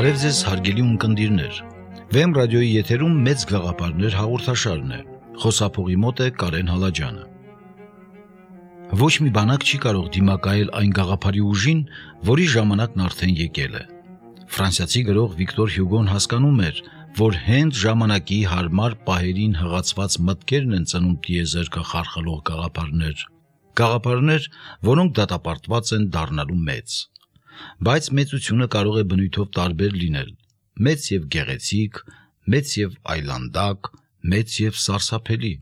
Բարև ձեզ հարգելի ունկնդիրներ, Վեմ ռադիոյի եթերում մեծ գաղափարներ հաղորդաշարն է, խոսափողի մոտ է Կարեն Հալաջյանը։ Ոչ մի բանակ չի կարող դիմակայել այն գաղափարի ուժին, որի ժամանակն արդեն եկել է։ Ֆրանսիացի գրող Վիկտոր Հյուգոն հասկանում էր, որ հենց ժամանակի հարմար պահերին հղացված մտքերն են ծնում տիեզերքը խարխլող գաղափարներ, որոնք դատապարտված են դառնալու մեծ։ Բայց մեծությունը կարող է բնույթով տարբեր լինել, մեծ եւ գեղեցիկ, մեծ եւ այլանդակ, մեծ եւ սարսափելի։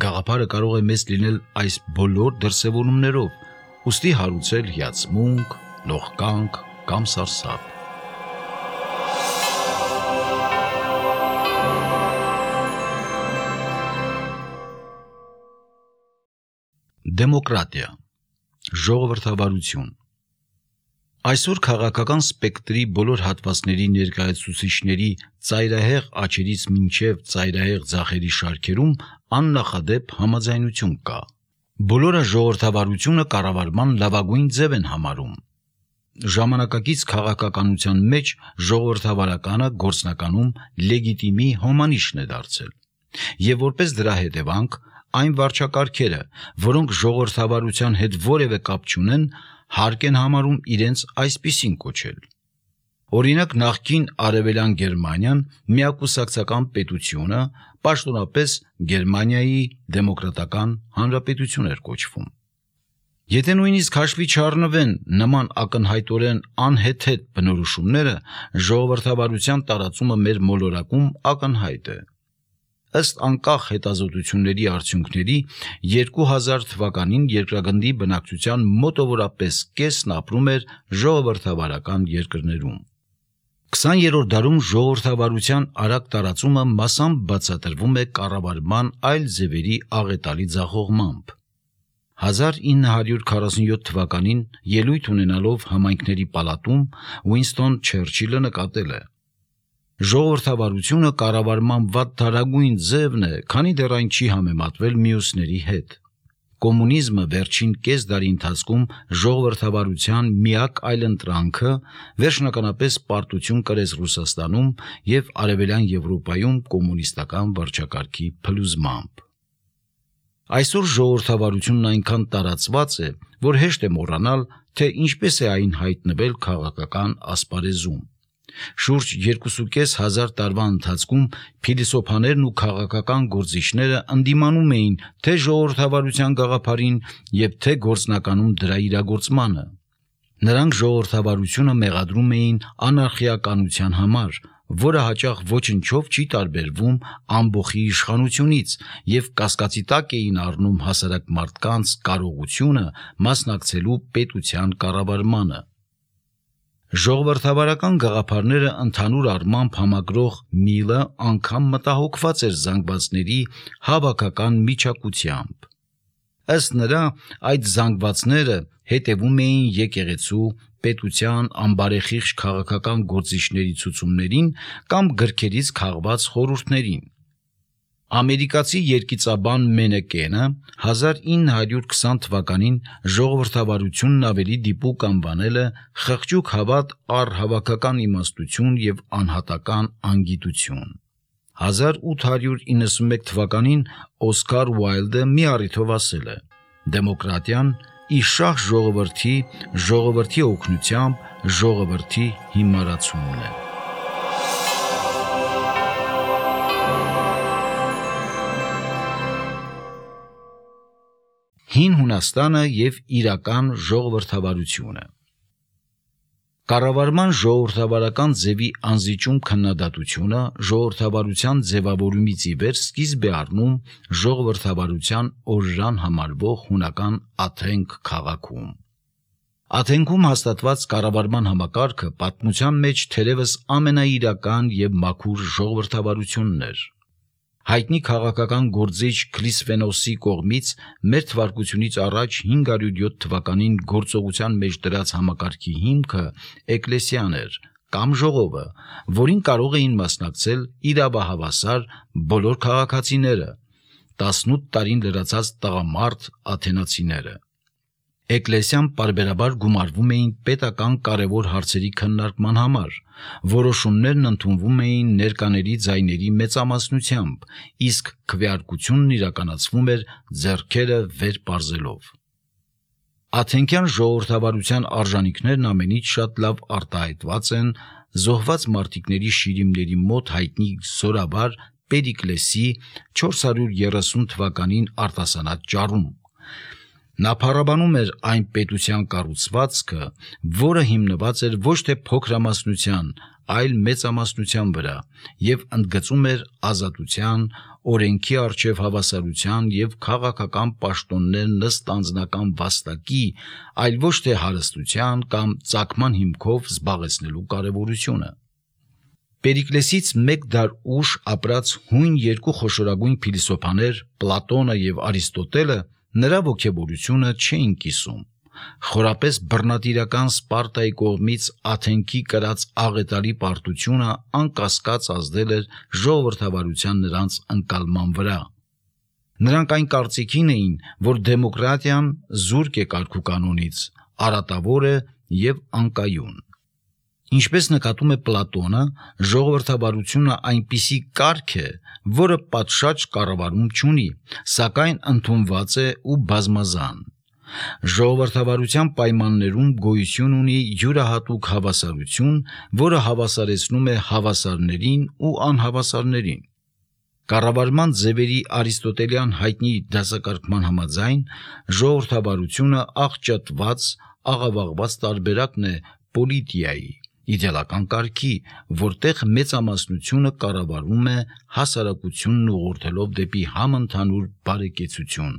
Գաղափարը կարող է մեծ լինել այս բոլոր դրսևորումներով, ուստի հարուցել հիացմունք, լողկանք կամ սարսափ։ Դեմոկրատիա, ժողովրդավարություն։ Այսօր քաղաքական սպեկտրի բոլոր հատվածների ներկայացուցիչների ծայրահեղ աչերից մինչև ծայրահեղ ձախերի շարքերում աննախադեպ համաձայնություն կա։ Բոլորը ժողովրդավարությունը կառավարման լավագույն ձև են համարում։ Ժամանակակից քաղաքականության մեջ ժողովրդավարականը գործնականում լեգիտիմի հոմանիշն է դարձել։ Եվ որպես դրա հետևանք, այն վարչակարգերը, որոնք ժողովրդավարության հետ որևէ կապ չունեն, հարկ են համարում իրենց այսպիսին կոչել։ Օրինակ նախկին Արևելյան Գերմանիան միակուսակցական պետությունը, պաշտոնապես Գերմանիայի դեմոկրատական հանրապետություն էր կոչվում։ Եթե նույնիսկ հաշվի չառնվեն նման ակնհայտորեն անհեթեթ բնորոշումները, ժողովրդավարության տարածումը մեր մոլորակում ակնհայտ է։ Ըստ անկախ հետազոտությունների արդյունքների 2000 թվականին երկրագնդի բնակչության մոտավորապես կեսն ապրում էր ժողովրդավարական երկրներում։ 20-րդ դարում ժողովրդավարության արագ տարածումը մասամբ բացատրվում է կառավարման այլ ձևերի աղետալի ձախողմամբ։ 1947 թվականին ելույթ ունենալով համայնքների պալատում Ուինստոն Չերչիլը նկատել է. Ժողովրդավարությունը կառավարման վատթարագույն ձևն է, քանի դեռ այն չի համեմատվել մյուսների հետ։ Կոմունիզմը վերջին կես դարի ընթացքում ժողովրդավարության միակ այլընտրանքը վերջնականապես պարտություն կրեց Ռուսաստանում եւ Արևելյան Եվրոպայում կոմունիստական վարչակարգի փլուզմամբ։ Այսօր ժողովրդավարությունն այնքան տարածված է, որ հեշտ է մոռանալ, թե ինչպես է այն հայտնվել քաղաքական ասպարեզում։ Շուրջ 2500 տարվա ընթացքում փիլիսոփաներն ու քաղաքական գործիչները ընդդիմանում էին թե ժողովրդավարության գաղափարին եւ թե գործնականում դրա իրագործմանը։ Նրանք ժողովրդավարությունը մեղադրում էին անարխիականության համար, որը հաճախ ոչնչով չի տարբերվում ամբոխի իշխանությունից եւ կասկածի տակ էին առնում հասարակ մարդկանց կարողությունը մասնակցելու պետության կառավարմանը։ Ժողովրդավարական գաղափարները ընդհանուր առմամբ համագրող միլը անգամ մտահոգված էր զանգվածների հավաքական միջակությամբ։ Ըստ նրա, այդ զանգվածները հետևում էին եկեղեցու, պետության անբարեխիղճ քաղաքական գործիչների ցուցումներին կամ գրքերից քաղված խորհուրդներին։ Ամերիկացի երգիծաբան Մենեկենը 1920 թվականին ժողովրդավարությունն ավելի դիպուկ անվանել է խղճուկ հավատ առ հավաքական իմաստություն եւ անհատական անգիտություն։ 1891 թվականին Օսկար Ուայլդը մի առիթով ասել է. «Դեմոկրատիան իշահ ժողովրդի օգնությամբ ժողովրդի հիմարացումն է»։ Հին Հունաստանը եւ իրական ժողովրդավարությունը։ Կառավարման ժողովրդավարական ձևի անզիջում քննադատությունը ժողովրդավարության ձևավորումից ի վեր սկիզբ է առնում ժողովրդավարության օրրան համարվող հունական Աթենք քաղաքում։ Աթենքում հաստատված կառավարման համակարգը պատմության մեջ թերևս ամենաիրական եւ մաքուր ժողովրդավարությունն էր։ Հայտնի քաղաքական գործիչ Քլիսվենոսի կողմից մեր թվարկությունից առաջ 507 թվականին գործողության մեջ դրած համակարգի հիմքը էկլեսիան էր կամ ժողովը, որին կարող էին մասնակցել իրավահավասար բոլոր քաղաքացիները, 18 տարին լրացած տղամարդ աթենացիները։ Էկլեսիան պարբերաբար գումարվում էին պետական կարևոր հարցերի քննարկման համար, որոշումներն ընդունվում էին ներկաների ձայների մեծամասնությամբ, իսկ քվեարկությունն իրականացվում էր ձեռքերը վեր պարզելով։ Աթենկյան ժողովրդավարության արժանինքներն ամենից շատ լավ արտահայտված են զոհված մարտիկների շիրիմների մոտ հայտնի զորավար Պերիկլեսի 430 թվականին արտասանած ճառում։ Նա փառաբանում էր այն պետության կառուցվածքը, որը հիմնված էր ոչ թե փոքրամասնության, այլ մեծամասնության վրա, եւ ընդգծում էր ազատության, օրենքի առջև հավասարության եւ քաղաքական պաշտոններ ըստ անձնական վաստակի, այլ ոչ թե հարստության կամ ծագման հիմքով զբաղեցնելու կարևորությունը։ Պերիկլեսից մեկ դար ուշ ապրած հույն երկու խոշորագույն փիլիսոփաներ Պլատոնը եւ Արիստոտելը նրա ոգևորությունը չէին կիսում։ Խորապես բռնատիրական Սպարտայի կողմից Աթենքի կրած աղետալի պարտությունը անկասկած ազդել էր ժողովրդավարության նրանց ընկալման վրա։ Նրանք այն կարծիքին էին, որ դեմոկրատիան զուրկ է կարգուկանոնից, արատավոր է եւ անկայուն։ Ինչպես նկատում է Պլատոնը, ժողովրդավարությունը այնպիսի կարգ է, որը պատշաճ կառավարում չունի, սակայն ընդունված է ու բազմազան։ Ժողովրդավարության պայմաններում գոյություն ունի յուրահատուկ հավասարություն, որը հավասարեցնում է հավասարներին ու անհավասարներին։ Կառավարման ձևերի արիստոտելյան հայտնի դասակարգման համաձայն ժողովրդավարությունը աղճատված, աղավաղված տարբերակն է պոլիտիայի, իդեալական կարգի, որտեղ մեծամասնությունը կառավարում է հասարակությունն ուղղորդելով դեպի համընդհանուր բարեկեցություն։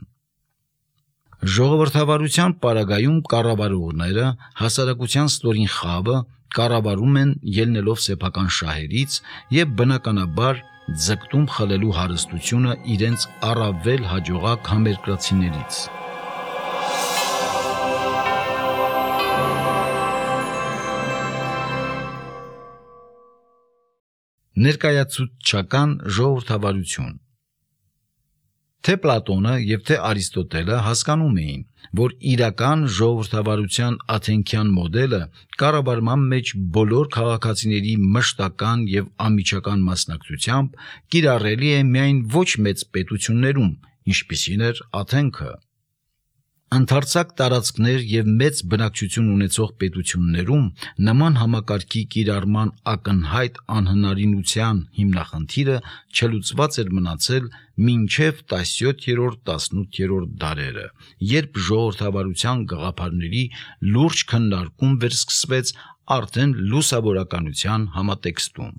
Ժողովրդավարության պարագայում կառավարողները հասարակության ստորին խավը կառավարում են ելնելով սեփական շահերից եւ բնականաբար ձգտում խլելու հարստությունը իրենց առավել հաջողակ համերկրացիներից։ Ներկայացուցչական ժողովրդավարություն։ Թե Պլատոնը եւ թե Արիստոտելը հասկանում էին, որ իրական ժողովրդավարության աթենքյան մոդելը կառավարման մեջ բոլոր քաղաքացիների մշտական եւ անմիջական մասնակցությամբ կիրառելի է միայն ոչ մեծ պետություններում, ինչպիսին էր Աթենքը։ Ընդարձակ տարածքներ եւ մեծ բնակչություն ունեցող պետություններում նման համակարգի կիրառման ակնհայտ անհնարինության հիմնախնդիրը չլուծված էր մնացել մինչև 17-18-րդ դարերը, երբ ժողովրդավարության գաղափարների լուրջ քննարկում վերսկսվեց արդեն լուսավորականության համատեքստում։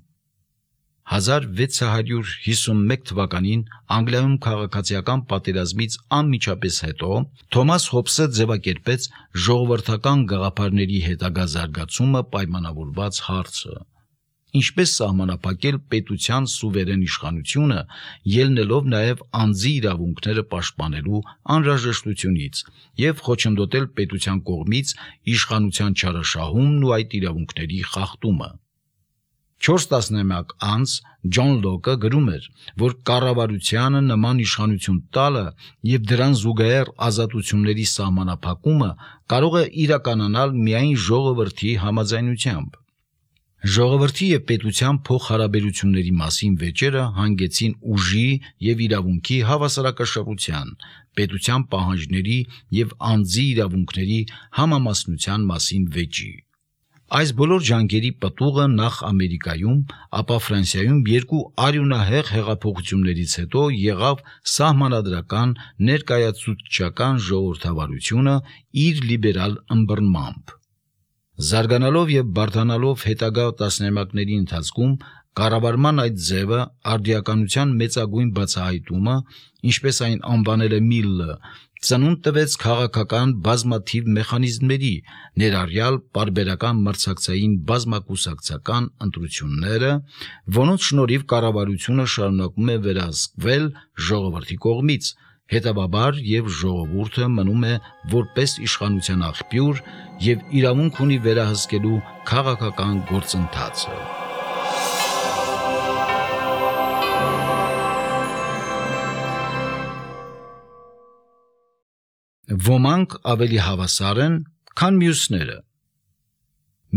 1651 թվականին Անգլիայում քաղաքացիական պատերազմից անմիջապես հետո Թոմաս Հոբսը ձևակերպեց ժողովրդական գաղափարների հետագա զարգացումը պայմանավորված հարցը։ Ինչպես սահմանափակել պետության սուվերեն իշխանությունը, ելնելով նաև անձի իրավունքները պաշտպանելու անհրաժեշտությունից եւ խոչընդոտել պետության կողմից իշխանության չարաշահումն ու այդ իրավունքների խախտումը։ 4 տասնամյակ անց Ջոն Լոկը գրում էր, որ կառավարությանը նման իշխանություն տալը եւ դրան զուգահեռ ազատությունների սահմանափակումը կարող է իրականանալ միայն ժողովրդի համաձայնությամբ։ Ժողովրդի եւ պետության փոխհարաբերությունների մասին վեճերը հանգեցին ուժի եւ իրավունքի հավասարակշռության, պետության պահանջների եւ անձի իրավունքների համամասնության մասին վեճի։ Այս բոլոր ջանքերի պտուղը նախ Ամերիկայում, ապա Ֆրանսիայում երկու արյունահեղ հեղափոխություններից հետո եղավ սահմանադրական ներկայացուցչական ժողովրդավարությունը իր լիբերալ ըմբռնմամբ։ Զարգանալով եւ բարդանալով հետագա տասնամյակների ընթացքում կառավարման այդ ձևը արդիականության մեծագույն բացահայտումը, ինչպես այն անվանել է Միլլը, ծնունդ տվեց քաղաքական բազմաթիվ մեխանիզմների, ներառյալ պարբերական մրցակցային բազմակուսակցական ընտրությունները, որոնց շնորհիվ կառավարությունը շարունակում է վերահսկվել ժողովրդի կողմից, հետևաբար եւ ժողովուրդը մնում է որպես իշխանության աղբյուր եւ իրավունք ունի վերահսկելու քաղաքական գործընթացը։ Ոմանք ավելի հավասար են, քան մյուսները։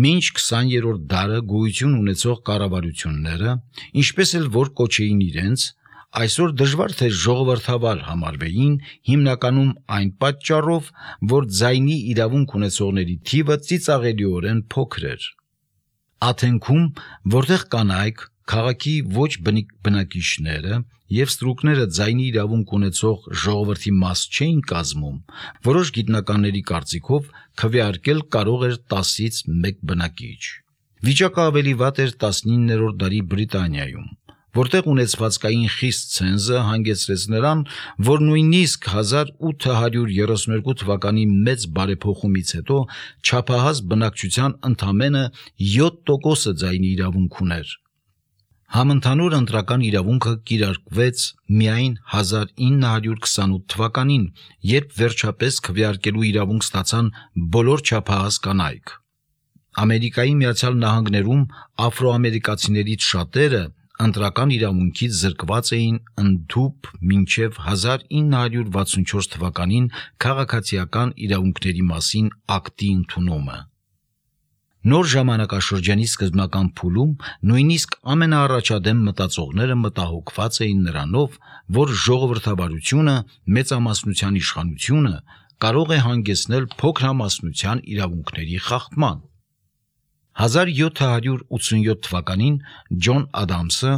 Մինչ 20-րդ դարը գոյություն ունեցող կառավարությունները, ինչպես էլ որ կոչեին իրենց, այսօր դժվար թե ժողովրդավար համարվեին, հիմնականում այն պատճառով, որ ձայնի իրավունք ունեցողների թիվը ծիծաղելիորեն փոքր էր։ Աթենքում, որտեղ կանայք, քաղաքի ոչ բնակիչները եւ ստրուկները ձայնի իրավունք ունեցող ժողովրդի մաս չէին կազմում, որոշ գիտնականների կարծիքով քվեարկել կարող էր 10-ից 1 բնակիչ։ Վիճակը ավելի վատ էր 19-րդ դարի Բրիտանիայում, որտեղ ունեցվածքային խիստ ցենզը հանգեցրեց նրան, որ նույնիսկ 1832 թվականի մեծ բարեփոխումից հետո չափահաս բնակչության ընդամենը 7%-ը ձայնի իրավունք ուներ։ Համընդհանուր ընտրական իրավունքը կիրարկվեց միայն 1928 թվականին, երբ վերջապես քվեարկելու իրավունք ստացան բոլոր չափահաս կանայք։ Ամերիկայի Միացյալ Նահանգներում աֆրոամերիկացիներից շատերը ընտրական իրավունքից զրկված էին ընդհուպ մինչև 1964 թվականին քաղաքացիական իրավունքների մասին ակտի ընդունումը։ Նոր ժամանակաշրջանի սկզբնական փուլում նույնիսկ ամենաառաջադեմ մտածողները մտահոգված էին նրանով, որ ժողովրդավարությունը, մեծամասնության իշխանությունը կարող է հանգեցնել փոքրամասնության իրավունքների խախտման։ 1787 թվականին Ջոն Ադամսը,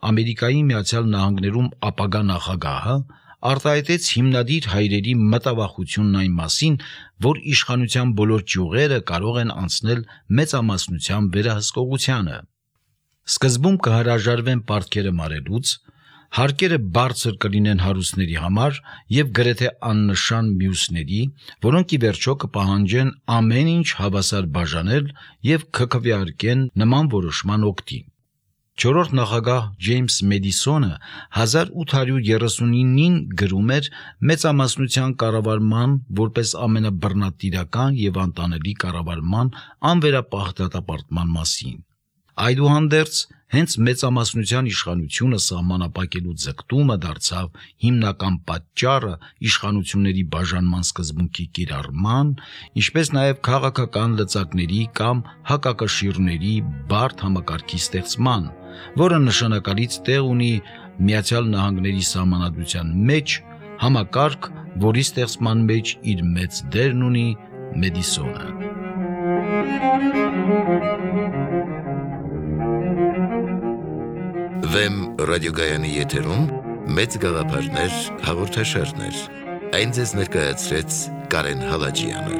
Ամերիկայի Միացյալ Նահանգներում ապագա նախագահը, արտահայտեց հիմնադիր հայրերի մտավախությունն այն մասին, որ իշխանության բոլոր ճյուղերը կարող են անցնել մեծամասնության վերահսկողությանը։ Սկզբում կհրաժարվեն պարտքերը մարելուց, հարկերը բարձր կլինեն հարուստների համար եւ գրեթե աննշան մյուսների, որոնք ի վերջո կպահանջեն ամեն ինչ հավասար բաժանել եւ կքվեարկեն նման որոշման օգտին։ Չորրորդ նախագահ Ջեյմս Մեդիսոնը 1839-ին գրում էր մեծամասնության կառավարման որպես ամենաբռնատիրական եւ անտանելի կառավարման անվերապահ դատապարտման մասին։ Այդուհանդերձ, հենց մեծամասնության իշխանությունը սահմանափակելու ձգտումը դարձավ հիմնական պատճառը իշխանությունների բաժանման սկզբունքի կիրառման, ինչպես նաև քաղաքական լծակների կամ հակակշիռների բարդ համակարգի ստեղծման, որը նշանակալից տեղ ունի Միացյալ Նահանգների Սահմանադրության մեջ, համակարգ, որի ստեղծման մեջ իր մեծ դերն ունի Մեդիսոնը։ Վեմ ռադիոգայանի եթերում մեծ գաղափարներ հաղորդաշարներ։ Այն ձեզ ներկայացրեց Կարեն Հալաջյանը։